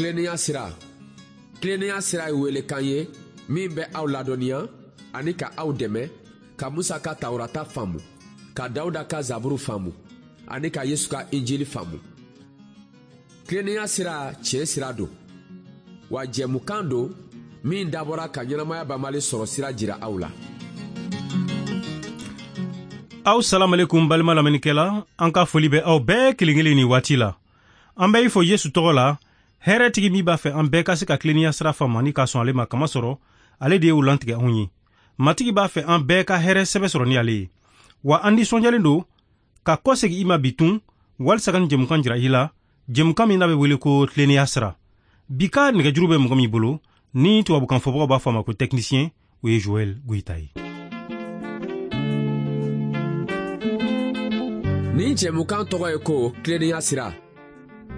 Tilennenya sira. Tilennenya sira ye welekan ye min bɛ aw ladɔnniya ani ka aw dɛmɛ ka Musa ka Tawurata faamu, ka Dawuda ka Zaburu faamu ani ka Yesu ka Injili faamu. Tilennenya sira tiɲɛ sira don, wa jɛmukan don min dabɔra ka ɲɛnamaya banbali sɔrɔ sira jira aw la. Aw salamalekum balima lamɛnnikɛla, an ka foli bɛ aw bɛɛ kelen kelen nin waati la. An bɛ i fo Yesu tɔgɔ la, hɛrɛtigi min b'a fɛ an bɛɛ ka se ka tilennenya sira faamu ani ka sɔn ale ma, kamasɔrɔ ale de ye o lantigɛ anw ye. Matigi b'a fɛ an bɛɛ ka hɛrɛ sɛbɛ sɔrɔ ni ale ye. Wa an nisɔndiyalen don ka kɔsegin i ma bi tun walisa ka nin jɛmukan jira i la, jɛmukan min n'a bɛ wele ko tilennenya sira. Bi ka nɛgɛjuru bɛ mɔgɔ min bolo, ni tubabukan fɔbagaw b'a fɔ a ma ko technicien, o ye Joël Goïta ye. Nin jɛmukan tɔgɔ ye ko tilennenya sira.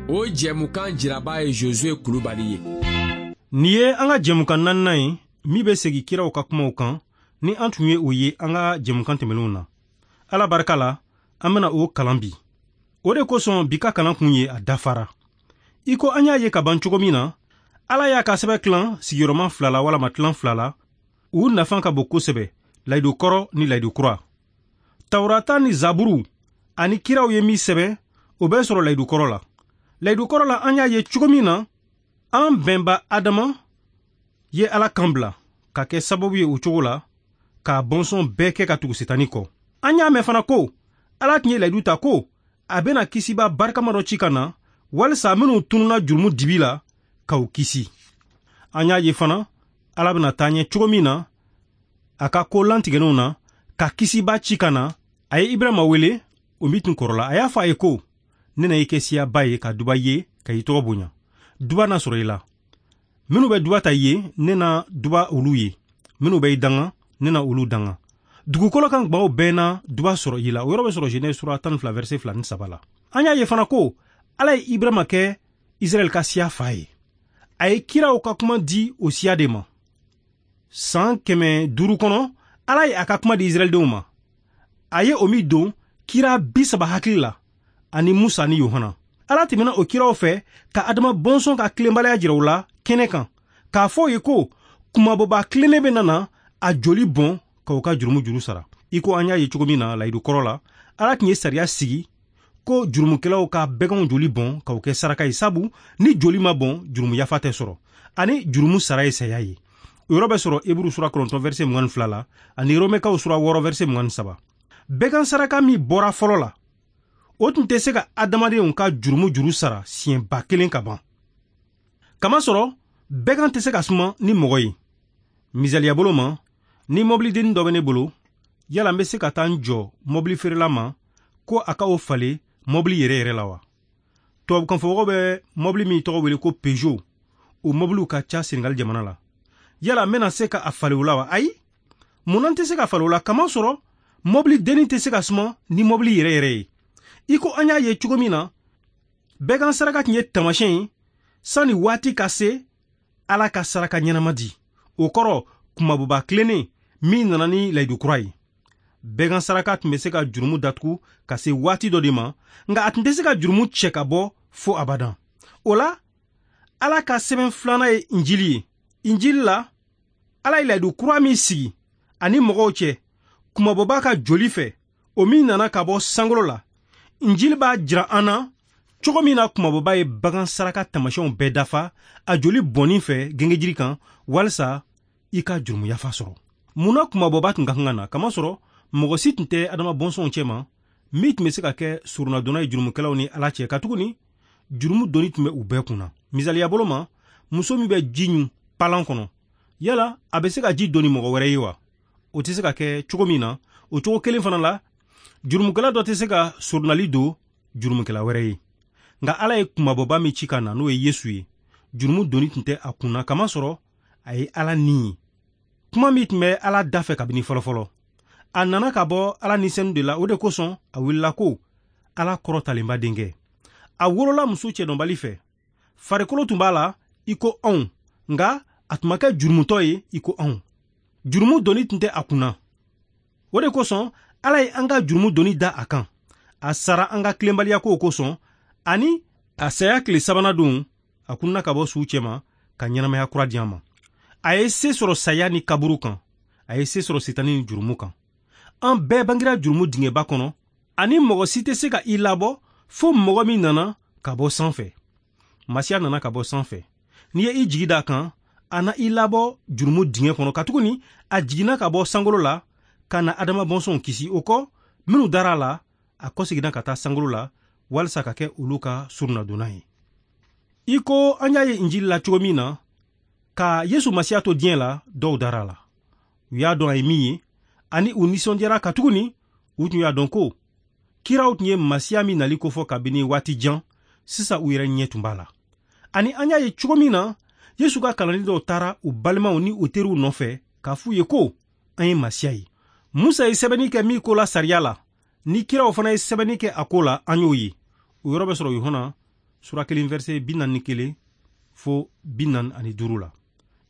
O jɛmukan jiraba ye Josue Kulubali ye. Nin ye an ka jɛmukan naaninan ye min bɛ segin kiraw ka kumaw kan ni an tun ye o ye an ka jɛmukan tɛmɛnenw na. Ala barika la, an bɛna o kalan bi. O de kosɔn bi ka kalan kun ye a dafara. I ko an y'a ye ka ban cogo min na, Ala y'a ka sɛbɛn tilan sigiyɔrɔma fila la walama tilan fila la, u nafa ka bon kosɛbɛ, layidu kɔrɔ ni layidu kura. Tawurata ni Zaburu ani kiraw ye min sɛbɛn, o bɛ sɔrɔ layidu kɔrɔ la. Layidu kɔrɔ la, an y'a ye cogo min na, an bɛnba Adama ye Ala kan bila ka kɛ sababu ye o cogo la k'a bɔnsɔn bɛɛ kɛ ka tugu Setani kɔ. An y'a mɛn fana ko Ala tun ye layidu ta ko a bɛna kisiba barikama dɔ ci ka na walisa minnu tununna jurumu dibi la k'u kisi. An y'a ye fana Ala bɛna taa ɲɛ cogo min na a ka ko lantigɛnenw na ka kisiba ci ka na. A ye Ibrahima wele, o min tun kɔrɔla, a y'a fɔ a ye ko ne na i kɛ siyaba ye ka duba ye ka i tɔgɔ bonya. Duba na sɔrɔ i la. Minnu bɛ duba ta i ye, ne na duba olu ye. Minnu bɛ i danga, ne na olu danga. Dugukolo kan gbaw bɛɛ na duba sɔrɔ i la. O yɔrɔ bɛ sɔrɔ Genèse sura 12 verset 2 ni 3 la. An y'a ye fana ko Ala ye Ibrahima kɛ Israɛl ka siya fa ye. A ye kiraw ka kuma di o siya de ma. San 500 kɔnɔ, Ala ye a ka kuma di Israɛldenw ma. A ye o min don kira 30 hakili la ani Musa ni Yohana. Ala tɛmɛna o kiraw fɛ ka Adama bɔnsɔn ka tilenbaliya jira u la kɛnɛ kan, k'a fɔ u ye ko kumabɔba tilennen bɛ nana a joli bɔn k'u ka jurumu juru sara. I ko an y'a ye cogo min na layidu kɔrɔ la, Ala tun ye sariya sigi ko jurumukɛlaw ka bɛganw joli bɔn k'u kɛ saraka ye, sabu ni joli ma bɔn, jurumu yafa tɛ sɔrɔ, ani jurumu sara ye saya ye. O yɔrɔ bɛ sɔrɔ Eburu sura 9 verset 22 la ani Romɛkaw sura 6 verset 23. Bɛgan saraka min bɔra fɔlɔ la, o tun tɛ se ka adamadenw ka jurumu juru sara siɲɛ 1000 ka ban. Kamasɔrɔ bɛgan tɛ se ka suma ni mɔgɔ ye. Misaliya bolo ma, ni mɔbilidennin dɔ bɛ ne bolo, yala n bɛ se ka taa n jɔ mɔbili feerela ma ko a ka o falen mɔbili yɛrɛ yɛrɛ la wa? Tubabukanfɔmɔgɔw bɛ mɔbili min tɔgɔ wele ko Peugeot, o mɔbiliw ka ca Senegal jamana la. Yala n bɛna se ka a falen o la wa? Ayi, munna n tɛ se ka falen o la? Kamasɔrɔ mɔbili dennin tɛ se ka suma ni mɔbili yɛrɛ yɛrɛ ye. I ko an y'a ye cogo min na, bɛgan saraka tun ye taamasiyɛn ye sanni waati ka se Ala ka saraka ɲɛnama di. O kɔrɔ kumabɔba tilennen min nana ni layidu kura ye. Bɛgan saraka tun bɛ se ka jurumu datugu ka se waati dɔ de ma, nka a tun tɛ se ka jurumu cɛ ka bɔ fo abadan. O la, Ala ka sɛbɛn filanan ye Injili ye. Injili la, Ala ye layidu kura min sigi ani mɔgɔw cɛ kumabɔba ka joli fɛ, o min nana ka bɔ sankolo la. Injili b'a jira an na cogo min na kumabɔba ye bagan saraka taamasiyɛnw bɛɛ dafa a joli bɔnni fɛ gengejiri kan walisa i ka jurumu yafa sɔrɔ. Munna kumabɔba tun ka kan ka na? Kamasɔrɔ mɔgɔ si tun tɛ Adama bɔnsɔnw cɛma min tun bɛ se ka kɛ surunadonna ye jurumukɛlaw ni Ala cɛ, katuguni jurumu doni tun bɛ u bɛɛ kunna. Misaliya bolo ma, muso min bɛ ji ɲun palan kɔnɔ, yala a bɛ se ka ji doni mɔgɔ wɛrɛ ye wa? O tɛ se ka kɛ cogo min na, o cogo kelen fana la, jurumukɛla dɔ tɛ se ka surunali don jurumukɛla wɛrɛ ye. Nka Ala ye kumabɔba min ci ka na, n'o ye Yesu ye, jurumu doni tun tɛ a kunna, kamasɔrɔ a ye Ala ni ye. Kuma min tun bɛ Ala da fɛ kabini fɔlɔfɔlɔ, a nana ka bɔ Ala ni senu de la. O de kosɔn a wulila ko Ala kɔrɔtalenba denkɛ. A wolola muso cɛdɔnbali fɛ, farikolo tun b'a la i ko anw, nka a tun ma kɛ jurumutɔ ye i ko anw. Jurumu doni tun tɛ a kunna. O de kosɔn Ala ye an ka jurumu doni da a kan. A sara an ka tilenbaliya kow kosɔn, ani a saya tile sabanan don A kunna ka bɔ suw cɛma ka ɲɛnamaya kura di an ma. A ye se sɔrɔ saya ni kaburu kan, a ye se sɔrɔ sitani ni jurumu kan. An bɛɛ bangera jurumu dingɛba kɔnɔ, ani mɔgɔ si tɛ se ka i labɔ fo mɔgɔ min nana ka bɔ sanfɛ. Masiya nana ka bɔ sanfɛ. N'i ye i jigi d'a kan, a na i labɔ jurumu dingɛ kɔnɔ, katuguni a jiginna ka bɔ sankolo la ka na Adama bɔnsɔnw kisi. O kɔ, minnu dara a la, a kɔseginna ka taa sankolo la walisa ka kɛ olu ka surunadonna ye. I ko an y'a ye Injili la cogo min na, ka Yesu Masiya to diɲɛ la, dɔw dara a la. U y'a dɔn a ye min ye, ani u nisɔndiyara, katuguni u tun y'a dɔn ko kiraw tun ye Masiya min nali kofɔ kabini waati jan, sisan u yɛrɛ ɲɛ tun b'a la. Ani an y'a ye cogo min na, Yesu ka kalanden dɔw taara u balimaw ni u teriw nɔfɛ k'a f'u ye ko an ye Masiya ye. Musa ye sɛbɛnni kɛ min ko la sariya la, ni kiraw fana ye sɛbɛnni kɛ a ko la, an y'o ye. O yɔrɔ bɛ sɔrɔ Yohana sura 1 verset 41 fo 45 la.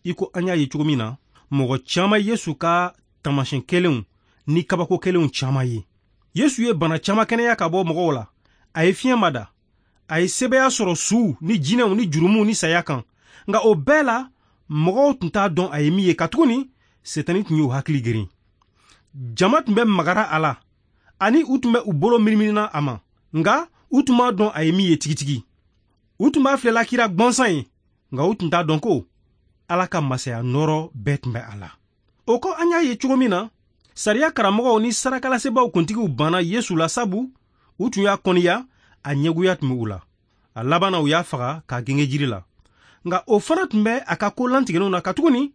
I ko an y'a ye cogo min na, mɔgɔ caman Yesu ka taamasiyɛn kelenw ni kabako kelenw caman ye. Yesu ye bana caman kɛnɛya ka bɔ mɔgɔw la. A ye fiɲɛ mada, a ye sebaaya sɔrɔ suw ni jinɛw ni jurumuw ni saya kan. Nka o bɛɛ la, mɔgɔw tun t'a dɔn a ye min ye, katuguni Setani tun y'u hakili geren. Jama tun bɛ magara a la, ani u tun bɛ u bolo miniminina a ma, nka u tun b'a dɔn a ye min ye tigitigi. U tun b'a filɛla kira gwansan ye, nka u tun t'a dɔn ko Ala ka masaya nɔɔrɔ bɛɛ tun bɛ a la. O kɔ, an y'a ye cogo min na, sariya karamɔgɔw ni sarakalasebaaw kuntigiw banna Yesu la, sabu u tun y'a kɔniya, a ɲɛgoya tun bɛ u la. A laban na, u y'a faga k'a genge jiri la. Nka o fana tun bɛ a ka ko lantigɛlenw na, katuguni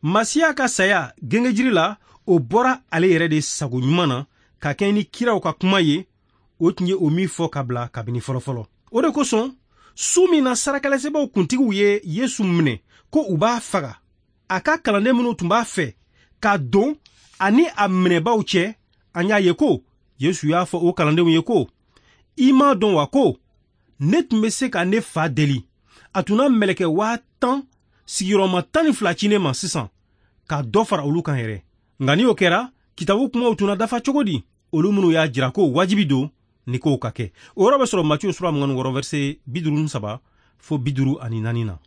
Masiya ka saya genge jiri la, o bɔra ale yɛrɛ de sago ɲuman na, ka kɛɲɛ ni kiraw ka kuma ye, o tun ye o min fɔ ka bila kabini fɔlɔfɔlɔ. O de kosɔn, su min na sarakalasebaaw kuntigiw ye Yesu minɛ ko u b'a faga, a ka kalanden minnu tun b'a fɛ ka don ani a minɛbaaw cɛ, an y'a ye ko Yesu y'a fɔ o kalandenw ye ko, i m'a dɔn wa ko ne tun bɛ se ka ne fa deli, a tun na mɛlɛkɛ 10,000 sigiyɔrɔma 12 ci ne ma sisan, ka dɔ fara olu kan yɛrɛ. Nka ni o kɛra, kitabu kumaw tun na dafa cogo di? Olu minnu y'a jira ko wajibi don ni kow ka kɛ. O yɔrɔ bɛ sɔrɔ Matiyu sura 26 verset 53 fo 54 na.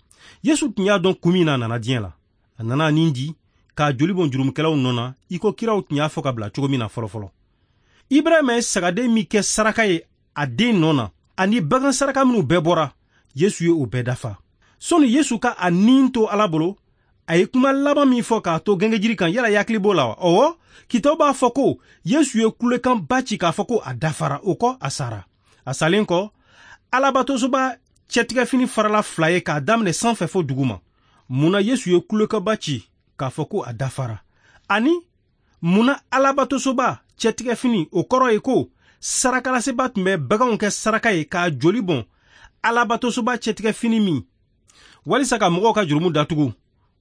Yesu tun y'a dɔn kun min na a nana diɲɛ la. A nana a nin di k'a joli bɔn jurumukɛlaw nɔ na, i ko kiraw tun y'a fɔ ka bila cogo min na fɔlɔfɔlɔ. Ibrahima ye sagaden min kɛ saraka ye a den nɔ na, ani bagan saraka minnu bɛɛ bɔra, Yesu ye o bɛɛ dafa. Sɔnni Yesu ka a nin to Ala bolo, a ye kuma laban min fɔ k'a to gengejiri kan, yala i hakili b'o la wa? Ɔwɔ, kitabu b'a fɔ ko Yesu ye kulekanba ci k'a fɔ ko a dafara. O kɔ, a sara. A salen kɔ, Alabatosoba cɛtigɛfini farala fila ye k'a daminɛ sanfɛ fo duguma. Mun na Yesu ye kulekanba ci k'a fɔ ko a dafara? Ani mun na Alabatosoba cɛtigɛfini, o kɔrɔ ye ko sarakalaseba tun bɛ baganw kɛ saraka ye k'a joli bɔn Alabatosoba cɛtigɛfini min walisa ka mɔgɔw ka jurumu datugu,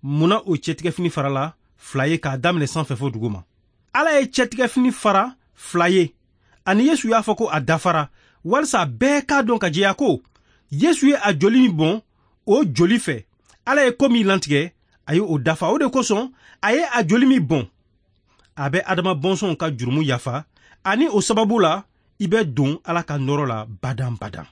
mun na o cɛtigɛfini farala fila ye k'a daminɛ sanfɛ fo duguma? Ala ye cɛtigɛfini fara fila ye, ani Yesu y'a fɔ ko a dafara, walisa bɛɛ k'a dɔn ka jɛya ko Yesu ye a joli min bɔn, o joli fɛ Ala ye ko min lantigɛ, a ye o dafa. O de kosɔn a ye a joli min bɔn, a bɛ Adama bɔnsɔnw ka jurumu yafa, ani o sababu la i bɛ don Ala ka nɔɔrɔ la badan badan.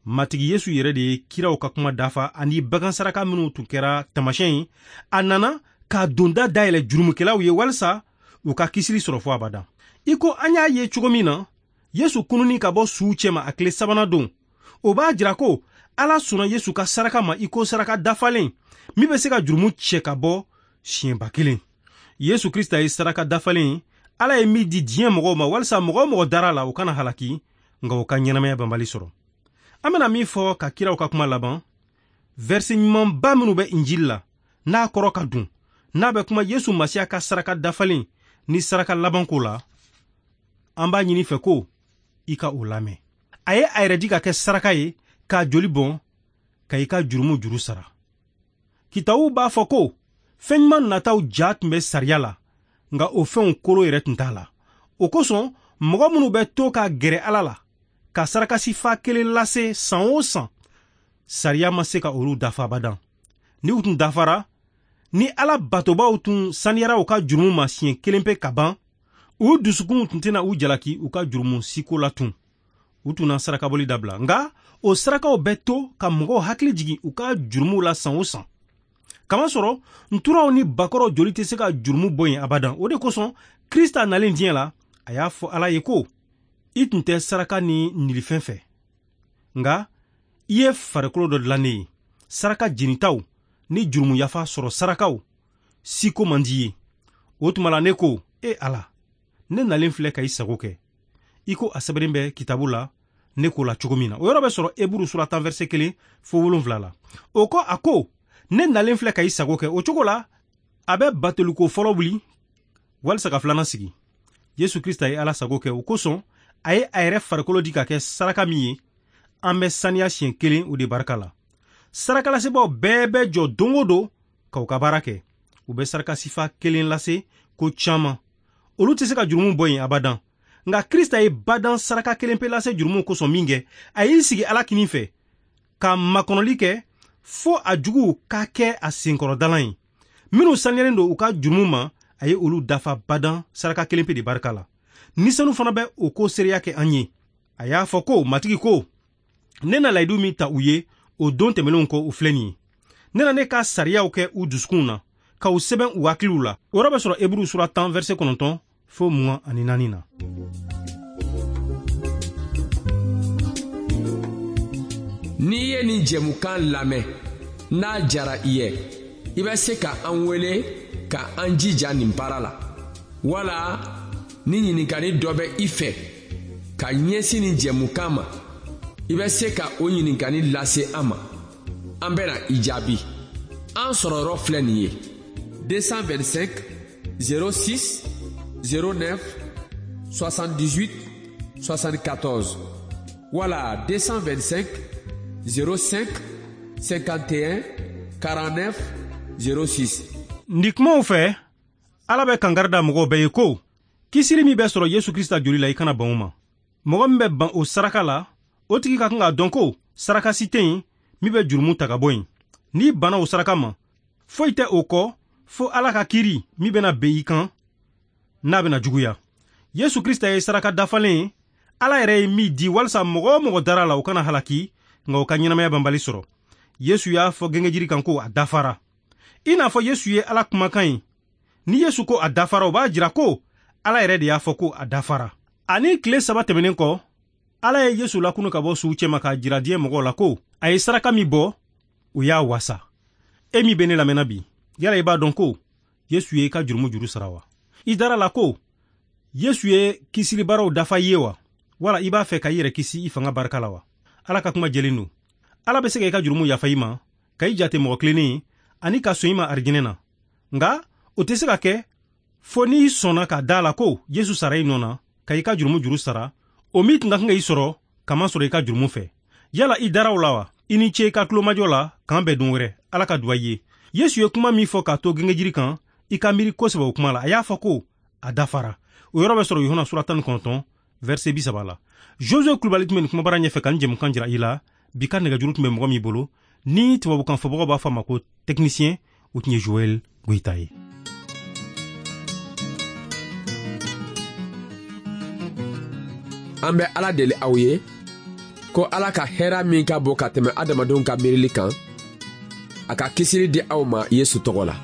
Matigi Yesu yɛrɛ de ye kiraw ka kuma dafa, ani bagan saraka minnu tun kɛra taamasiyɛn ye, a nana k'a donda dayɛlɛ jurumukɛlaw ye walisa u ka kisili sɔrɔ fo abadan. I ko an y'a ye cogo min na, Yesu kununni ka bɔ suw cɛma a tile sabanan don, o b'a jira ko Ala sɔnna Yesu ka saraka ma i ko saraka dafalen min bɛ se ka jurumu cɛ ka bɔ siɲɛba kelen. Yesu Krista ye saraka dafalen ye, Ala ye min di diɲɛ mɔgɔw ma walisa mɔgɔ o mɔgɔ dara la, o kana halaki, nka o ka ɲɛnamaya banbali sɔrɔ. An bɛna min fɔ ka kiraw ka kuma laban, verset ɲumanba minnu bɛ Injili la, n'a kɔrɔ ka dun, n'a bɛ kuma Yesu Masiya ka saraka dafalen ni saraka laban ko la, an b'a ɲini fɛ ko i ka o lamɛn. A ye a yɛrɛ di ka kɛ saraka ye, k'a joli bɔn, ka i ka jurumu juru sara. Kitabu b'a fɔ ko fɛn ɲuman nataw ja tun bɛ sariya la, nka o fɛnw kolo yɛrɛ tun t'a la. O kosɔn, mɔgɔ minnu bɛ to ka gɛrɛ Ala la, ka sarakasifa kelen lase san o san, sariya ma se ka olu dafa abadan. Ni u tun dafara, ni Ala batobaw tun saniyara u ka jurumu ma siɲɛ kelen pe ka ban, u dusukunw tun tɛna u jalaki u ka jurumu siko la tun. U tun na sarakabɔli dabila. Nka O sarakaw bɛ to ka mɔgɔw hakili jigin u ka jurumuw la san o san. Kamasɔrɔ nturaw ni bakɔrɔw joli tɛ se ka jurumu bɔ yen abadan. O de kosɔn Krista nalen diɲɛ la, a y'a fɔ Ala ye ko: I tun tɛ saraka ni nilifɛn fɛ, nka i ye farikolo dɔ dilan ne ye. Saraka jenitaw ni jurumu yafa sɔrɔ sarakaw siko man di ye. O tuma la ne ko: E Ala, ne nalen filɛ ka i sago kɛ, i ko a sɛbɛnnen bɛ kitabu la ne ko la cogo min na. O yɔrɔ bɛ sɔrɔ Eburu sura 10 verset 1 fo 7 la. O kɔ a ko: ne nalen filɛ ka i sago kɛ. O cogo la a bɛ batoliko fɔlɔ wuli walisa ka filanan sigi. Yesu Krista ye Ala sago kɛ, o kosɔn a ye a yɛrɛ farikolo di ka kɛ saraka min ye, an bɛ saniya siɲɛ kelen o de barika la. Sarakalasebaaw bɛɛ bɛ jɔ don o don ka u ka baara kɛ. U bɛ saraka sifa kelen lase ko caman. Olu tɛ se ka jurumu bɔ yen abadan. Nka Krista ye badan saraka kelen pe lase jurumu kosɔn min kɛ, a y'i sigi Ala kinin fɛ ka makɔnɔli kɛ fo a juguw ka kɛ a senkɔrɔdalan ye. Minnu saniyalen don u ka jurumu ma, a ye olu dafa badan saraka kelen pe de barika la. Ni sanu fana bɛ o ko seereya kɛ an ye. A y'a fɔ ko: Matigi ko, ne na layidu min ta u ye o don tɛmɛnenw kɔ, o filɛ nin ye. Ne na ne ka sariyaw kɛ u dusukunw na, ka u sɛbɛn u hakiliw la. O yɔrɔ bɛ sɔrɔ Eburu sura 10 verset 9 fo 24 na. N'i ye nin jɛmukan lamɛn, n'a jara i ye, i bɛ se ka an wele ka an jija nin baara la. Wala ni ɲininkali dɔ bɛ i fɛ ka ɲɛsin nin jɛmukan ma, i bɛ se ka o ɲininkali lase an ma. An bɛna i jaabi. An sɔrɔyɔrɔ filɛ nin ye: 225 06 09 78 74 wala 225 05 51 49 06. Nin kumaw fɛ, Ala bɛ kankari da mɔgɔw bɛɛ ye ko kisili min bɛ sɔrɔ Yesu Krista joli la, i kana ban o ma. Mɔgɔ min bɛ ban o saraka la, o tigi ka kan k'a dɔn ko saraka si tɛ yen min bɛ jurumu ta ka bɔ yen. N'i banna o saraka ma, foyi tɛ o kɔ fo Ala ka kiiri min bɛna ben i kan, n'a bɛna juguya. Yesu Krista ye saraka dafalen ye, Ala yɛrɛ ye min di walisa mɔgɔ o mɔgɔ dara la, o kana halaki, nka o ka ɲɛnamaya banbali sɔrɔ. Yesu y'a fɔ gengejiri kan ko a dafara. I n'a fɔ Yesu ye Ala kumakan ye. Ni Yesu ko a dafara, o b'a jira ko Ala yɛrɛ de y'a fɔ ko a dafara. Ani tile 3 tɛmɛnen kɔ, Ala ye Yesu lakunu ka bɔ suw cɛma k'a jira diɲɛ mɔgɔw la ko a ye saraka min bɔ, o y'a wasa. E min bɛ ne lamɛnna bi, yala i b'a dɔn ko Yesu ye i ka jurumu juru sara wa? I dara la ko Yesu ye kisilibaaraw dafa i ye wa? Wala i b'a fɛ ka i yɛrɛ kisi i fanga barika la wa? Ala ka kuma jɛlen don. Ala bɛ se ka i ka jurumu yafa i ma, ka i jate mɔgɔ tilennen ye, ani ka sɔn i ma arijinɛ na. Nka o tɛ se ka kɛ fo n'i sɔnna ka da la ko Yesu sara i nɔ na, ka i ka jurumu juru sara, o min tun ka kan ka i sɔrɔ kamasɔrɔ i ka jurumu fɛ. Yala i dara o la wa? I ni ce i ka tulomajɔ la, k'an bɛn don wɛrɛ. Ala ka duwa i ye. Yesu ye kuma min fɔ k'a to gengejiri kan, i ka miiri kosɛbɛ o kuma la. A y'a fɔ ko a dafara. O yɔrɔ bɛ sɔrɔ Yohana sura 19 verset 30 la. Josue Kulubali tun bɛ nin kumabara ɲɛfɛ ka nin jɛmukan jira i la. Bi ka nɛgɛjuru tun bɛ mɔgɔ min bolo, ni tubabukan fɔbagaw b'a fɔ a ma ko technicien, o tun ye Joël Goyita ye. An bɛ Ala deli aw ye ko Ala ka hɛrɛ min ka bon ka tɛmɛ adamadenw ka miirili kan, a ka kisili di aw ma Yesu tɔgɔ la.